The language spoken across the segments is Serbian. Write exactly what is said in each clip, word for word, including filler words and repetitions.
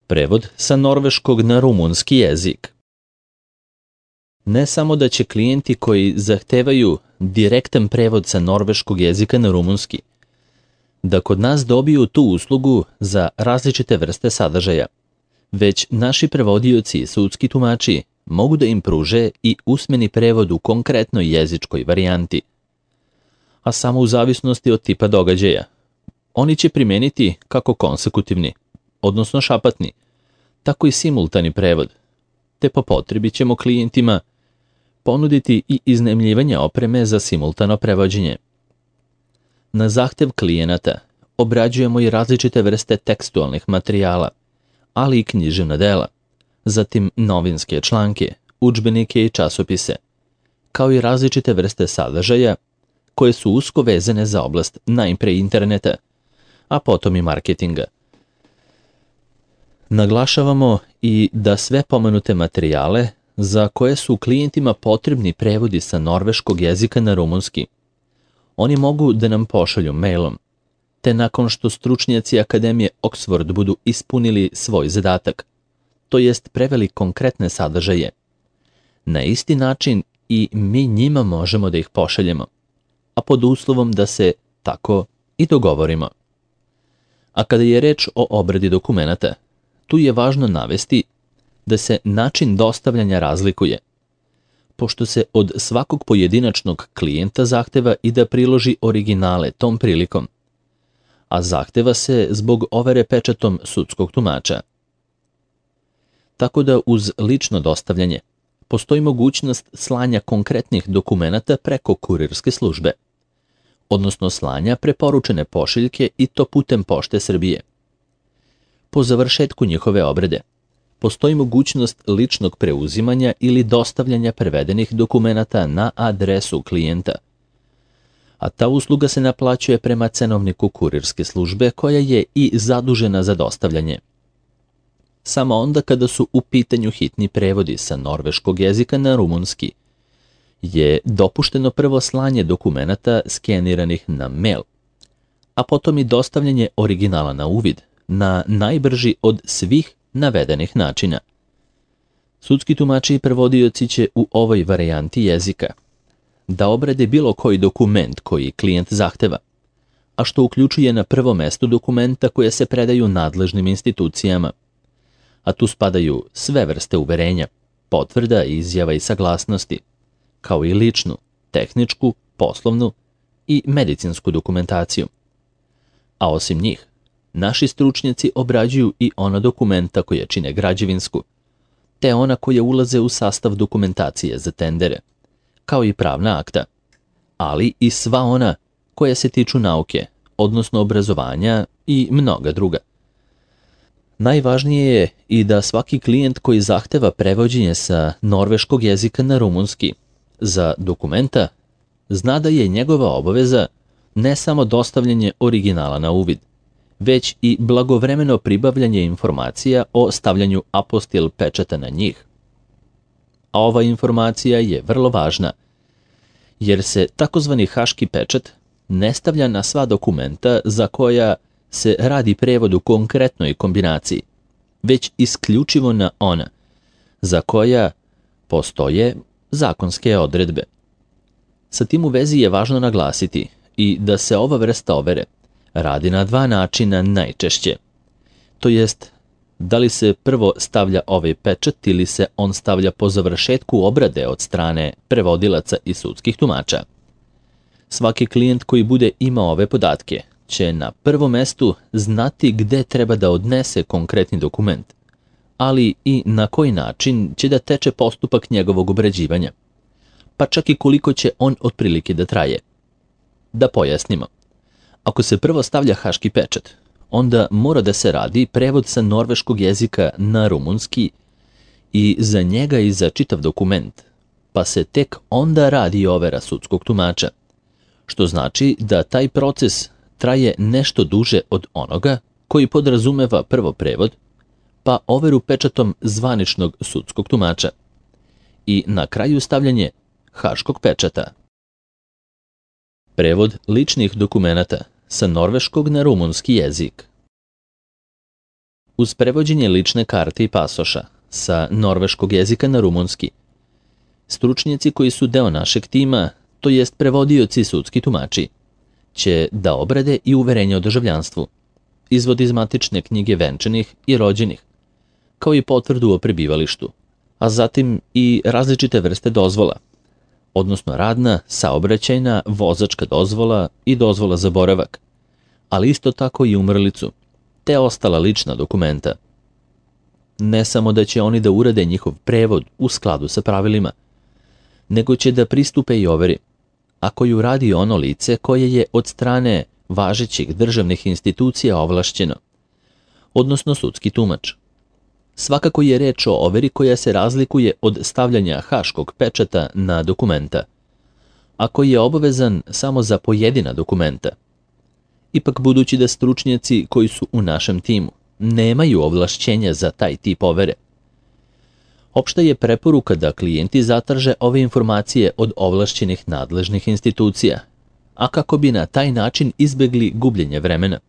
Prevod sa norveškog na rumunski jezik. Ne samo da će klijenti koji zahtevaju direktan prevod sa norveškog jezika na rumunski, da kod nas dobiju tu uslugu za različite vrste sadržaja, već naši prevodioci i sudski tumači mogu da im pruže i usmeni prevod u konkretnoj jezičkoj varijanti, a samo u zavisnosti od tipa događaja. Oni će primeniti kako konsekutivni, odnosno šapatni, tako i simultani prevod, te po potrebi ćemo klijentima ponuditi i iznajmljivanje opreme za simultano prevođenje. Na zahtev klijenata obrađujemo i različite vrste tekstualnih materijala, ali i književna dela, zatim novinske članke, udžbenike i časopise, kao i različite vrste sadržaja koje su usko vezane za oblast najpre interneta, a potom i marketinga. Naglašavamo i da sve pomenute materijale za koje su klijentima potrebni prevodi sa norveškog jezika na rumunski, oni mogu da nam pošalju mailom, te nakon što stručnjaci Akademije Oxford budu ispunili svoj zadatak, to jest preveli konkretne sadržaje, na isti način i mi njima možemo da ih pošaljemo, a pod uslovom da se tako i dogovorimo. A kada je reč o obradi dokumenata, tu je važno navesti da se način dostavljanja razlikuje, pošto se od svakog pojedinačnog klijenta zahteva i da priloži originale tom prilikom, a zahteva se zbog overe pečatom sudskog tumača. Tako da uz lično dostavljanje postoji mogućnost slanja konkretnih dokumenata preko kurirske službe, odnosno slanja preporučene pošiljke i to putem Pošte Srbije. Po završetku njihove obrade, postoji mogućnost ličnog preuzimanja ili dostavljanja prevedenih dokumenata na adresu klijenta, a ta usluga se naplaćuje prema cenovniku kurirske službe koja je i zadužena za dostavljanje. Samo onda kada su u pitanju hitni prevodi sa norveškog jezika na rumunski, je dopušteno prvo slanje dokumenata skeniranih na mail, a potom i dostavljanje originala na uvid na najbrži od svih navedenih načina. Sudski tumači i prevodioci će u ovoj varijanti jezika da obrade bilo koji dokument koji klijent zahteva, a što uključuje na prvo mesto dokumenta koje se predaju nadležnim institucijama, a tu spadaju sve vrste uverenja, potvrda, izjava i saglasnosti, kao i ličnu, tehničku, poslovnu i medicinsku dokumentaciju. A osim njih, naši stručnjaci obrađuju i ona dokumenta koje čine građevinsku, te ona koje ulaze u sastav dokumentacije za tendere, kao i pravna akta, ali i sva ona koja se tiču nauke, odnosno obrazovanja i mnoga druga. Najvažnije je i da svaki klijent koji zahteva prevođenje sa norveškog jezika na rumunski za dokumenta zna da je njegova obaveza ne samo dostavljanje originala na uvid, već i blagovremeno pribavljanje informacija o stavljanju apostil pečata na njih. A ova informacija je vrlo važna, jer se takozvani haški pečat ne stavlja na sva dokumenta za koja se radi prevod u konkretnoj kombinaciji, već isključivo na ona za koja postoje zakonske odredbe. Sa tim u vezi je važno naglasiti i da se ova vrsta overe radi na dva načina najčešće, to jest da li se prvo stavlja ovaj pečat ili se on stavlja po završetku obrade od strane prevodilaca i sudskih tumača. Svaki klijent koji bude imao ove podatke će na prvom mestu znati gde treba da odnese konkretni dokument, ali i na koji način će da teče postupak njegovog obrađivanja, pa čak i koliko će on otprilike da traje. Da pojasnimo, ako se prvo stavlja haški pečat, onda mora da se radi prevod sa norveškog jezika na rumunski i za njega i za čitav dokument, pa se tek onda radi overa sudskog tumača, što znači da taj proces traje nešto duže od onoga koji podrazumeva prvo prevod, pa overu pečatom zvaničnog sudskog tumača i na kraju stavljanje haškog pečata. Prevod ličnih dokumenata sa norveškog na rumunski jezik. uz prevođenje lične karte i pasoša sa norveškog jezika na rumunski. Stručnjaci koji su deo našeg tima, to jest prevodioci i sudski tumači, će da obrade i uverenje o državljanstvu, izvod iz matične knjige venčanih i rođenih, kao i potvrdu o prebivalištu, a zatim i različite vrste dozvola, odnosno radna, saobraćajna, vozačka dozvola i dozvola za boravak, ali isto tako i umrlicu, te ostala lična dokumenta. Ne samo da će oni da urade njihov prevod u skladu sa pravilima, nego će da pristupe i overi, ako ju radi ono lice koje je od strane važećih državnih institucija ovlašćeno, odnosno sudski tumač. Svakako je reč o overi koja se razlikuje od stavljanja haškog pečata na dokumenta, a koji je obavezan samo za pojedina dokumenta. Ipak, budući da stručnjaci koji su u našem timu nemaju ovlašćenja za taj tip overe, opšta je preporuka da klijenti zatraže ove informacije od ovlašćenih nadležnih institucija, a kako bi na taj način izbegli gubljenje vremena.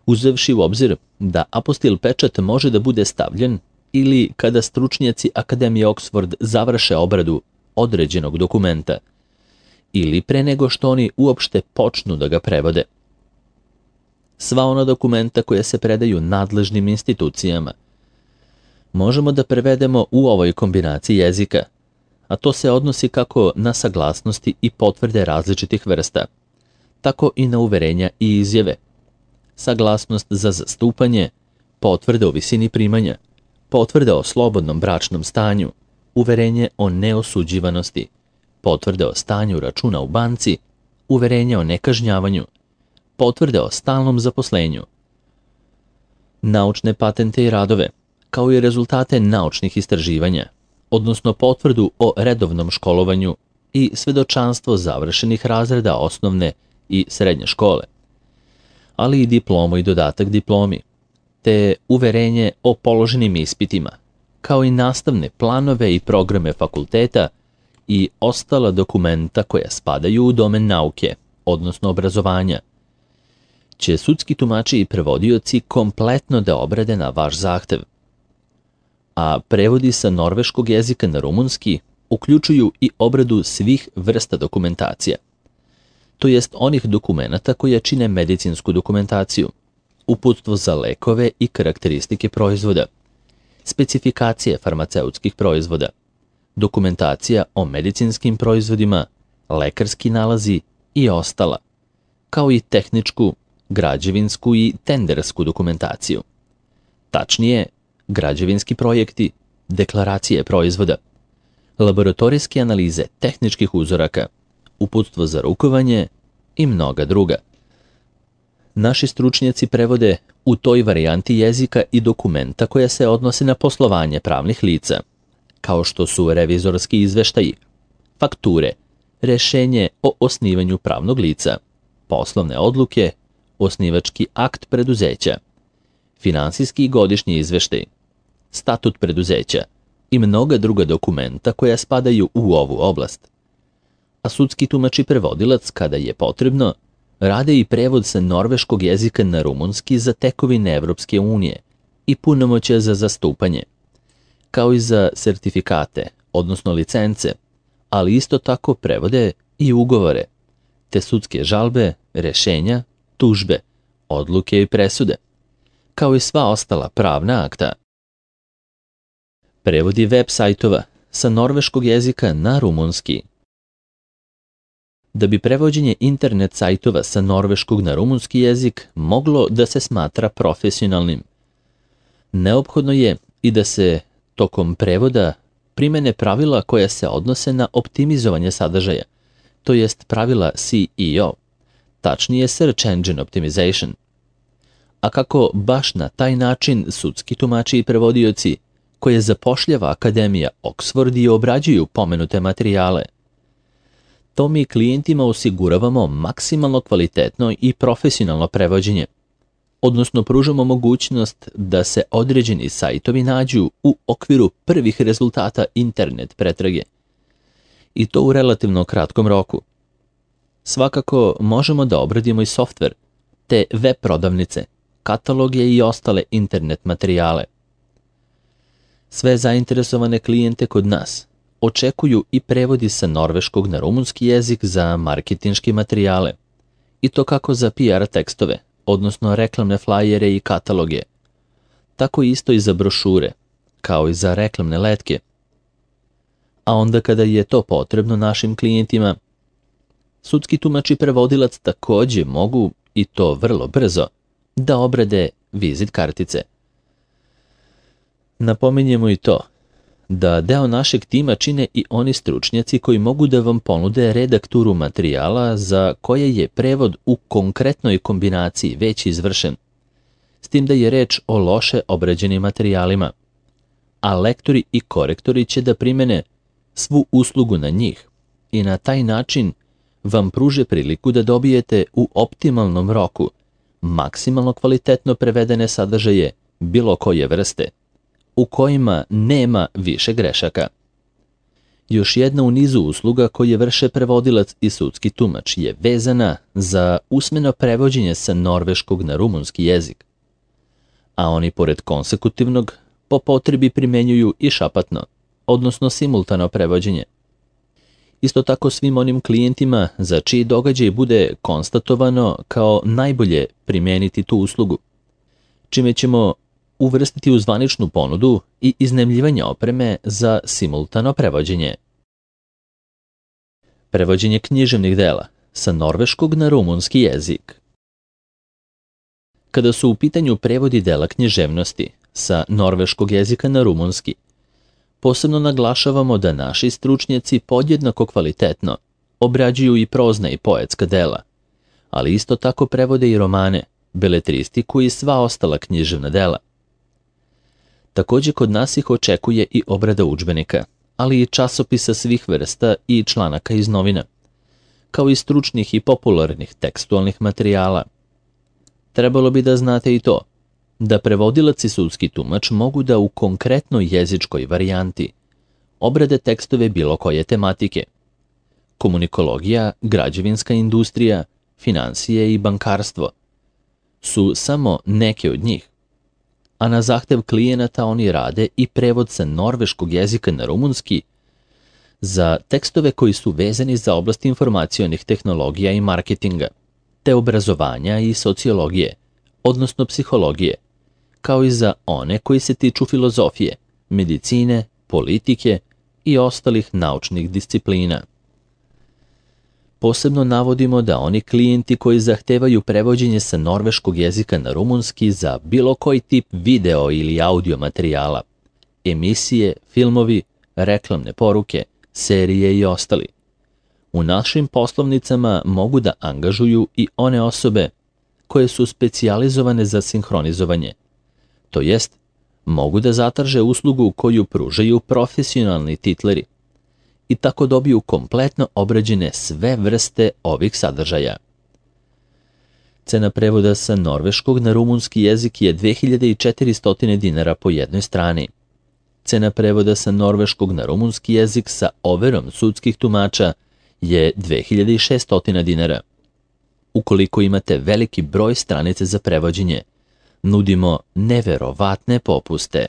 Uzevši u obzir da apostil pečat može da bude stavljen ili kada stručnjaci Akademije Oxford završe obradu određenog dokumenta ili pre nego što oni uopšte počnu da ga prevode. Sva ona dokumenta koja se predaju nadležnim institucijama možemo da prevedemo u ovoj kombinaciji jezika, a to se odnosi kako na saglasnosti i potvrde različitih vrsta, tako i na uverenja i izjave, saglasnost za zastupanje, potvrde o visini primanja, potvrde o slobodnom bračnom stanju, uverenje o neosuđivanosti, potvrde o stanju računa u banci, uverenje o nekažnjavanju, potvrde o stalnom zaposlenju, naučne patente i radove, kao i rezultate naučnih istraživanja, odnosno potvrdu o redovnom školovanju i svedočanstvo završenih razreda osnovne i srednje škole, ali i diplomu i dodatak diplomi, te uverenje o položenim ispitima, kao i nastavne planove i programe fakulteta i ostala dokumenta koja spadaju u domen nauke, odnosno obrazovanja, će sudski tumači i prevodioci kompletno da obrade na vaš zahtev. A prevodi sa norveškog jezika na rumunski uključuju i obradu svih vrsta dokumentacija, to jest onih dokumenata koje čine medicinsku dokumentaciju, uputstvo za lekove i karakteristike proizvoda, specifikacije farmaceutskih proizvoda, dokumentacija o medicinskim proizvodima, lekarski nalazi i ostala, kao i tehničku, građevinsku i tendersku dokumentaciju. Tačnije, građevinski projekti, deklaracije proizvoda, laboratorijske analize tehničkih uzoraka, uputstvo za rukovanje i mnoga druga. Naši stručnjaci prevode u toj varijanti jezika i dokumenta koja se odnose na poslovanje pravnih lica, kao što su revizorski izveštaji, fakture, rešenje o osnivanju pravnog lica, poslovne odluke, osnivački akt preduzeća, finansijski i godišnji izveštaj, statut preduzeća i mnoga druga dokumenta koja spadaju u ovu oblast. A sudski tumač i prevodilac, kada je potrebno, rade i prevod sa norveškog jezika na rumunski za tekovine Evropske unije i punomoćja za zastupanje, kao i za sertifikate, odnosno licence, ali isto tako prevode i ugovore, te sudske žalbe, rešenja, tužbe, odluke i presude, kao i sva ostala pravna akta. Prevodi web sajtova sa norveškog jezika na rumunski. Da bi prevođenje internet sajtova sa norveškog na rumunski jezik moglo da se smatra profesionalnim, neophodno je i da se tokom prevoda primene pravila koja se odnose na optimizovanje sadržaja, to jest pravila S E O, tačnije Search Engine Optimization. A kako baš na taj način sudski tumači i prevodioci koje zapošljava Akademija Oxford i obrađuju pomenute materijale, to mi klijentima osiguravamo maksimalno kvalitetno i profesionalno prevođenje, odnosno pružamo mogućnost da se određeni sajtovi nađu u okviru prvih rezultata internet pretrage, i to u relativno kratkom roku. Svakako možemo da obradimo i softver, te web prodavnice, kataloge i ostale internet materijale. Sve zainteresovane klijente kod nas očekuju i prevodi sa norveškog na rumunski jezik za marketinške materijale, i to kako za P R tekstove, odnosno reklamne flajere i kataloge, tako isto i za brošure, kao i za reklamne letke. A onda kada je to potrebno našim klijentima, sudski tumač i prevodilac takođe mogu, i to vrlo brzo, da obrade vizit kartice. Napominjemo i to da deo našeg tima čine i oni stručnjaci koji mogu da vam ponude redakturu materijala za koje je prevod u konkretnoj kombinaciji već izvršen, s tim da je reč o loše obrađenim materijalima, a lektori i korektori će da primene svu uslugu na njih i na taj način vam pruže priliku da dobijete u optimalnom roku maksimalno kvalitetno prevedene sadržaje bilo koje vrste, u kojima nema više grešaka. Još jedna u nizu usluga koje vrše prevodilac i sudski tumač je vezana za usmeno prevođenje sa norveškog na rumunski jezik, a oni pored konsekutivnog po potrebi primenjuju i šapatno, odnosno simultano prevođenje. Isto tako svim onim klijentima za čiji događaj bude konstatovano kao najbolje primeniti tu uslugu, čime ćemo uvrstiti u zvaničnu ponudu i iznajmljivanje opreme za simultano prevođenje. Prevođenje književnih dela sa norveškog na rumunski jezik. Kada su u pitanju prevodi dela književnosti sa norveškog jezika na rumunski, posebno naglašavamo da naši stručnjaci podjednako kvalitetno obrađuju i prozna i poetska dela, ali isto tako prevode i romane, beletristiku i sva ostala književna dela. Takođe kod nas ih očekuje i obrada udžbenika, ali i časopisa svih vrsta i članaka iz novina, kao i stručnih i popularnih tekstualnih materijala. Trebalo bi da znate i to, da prevodilac i sudski tumač mogu da u konkretnoj jezičkoj varijanti obrade tekstove bilo koje tematike. Komunikologija, građevinska industrija, finansije i bankarstvo su samo neke od njih, a na zahtev klijenata oni rade i prevod sa norveškog jezika na rumunski za tekstove koji su vezani za oblast informacionih tehnologija i marketinga, te obrazovanja i sociologije, odnosno psihologije, kao i za one koji se tiču filozofije, medicine, politike i ostalih naučnih disciplina. Posebno navodimo da oni klijenti koji zahtevaju prevođenje sa norveškog jezika na rumunski za bilo koji tip video ili audio materijala, emisije, filmovi, reklamne poruke, serije i ostali, u našim poslovnicama mogu da angažuju i one osobe koje su specijalizovane za sinhronizovanje, to jest mogu da zatraže uslugu koju pružaju profesionalni titleri i tako dobiju kompletno obrađene sve vrste ovih sadržaja. Cena prevoda sa norveškog na rumunski jezik je dve hiljade četiristo dinara po jednoj strani. Cena prevoda sa norveškog na rumunski jezik sa overom sudskih tumača je dve hiljade šesto dinara. Ukoliko imate veliki broj stranice za prevođenje, nudimo neverovatne popuste.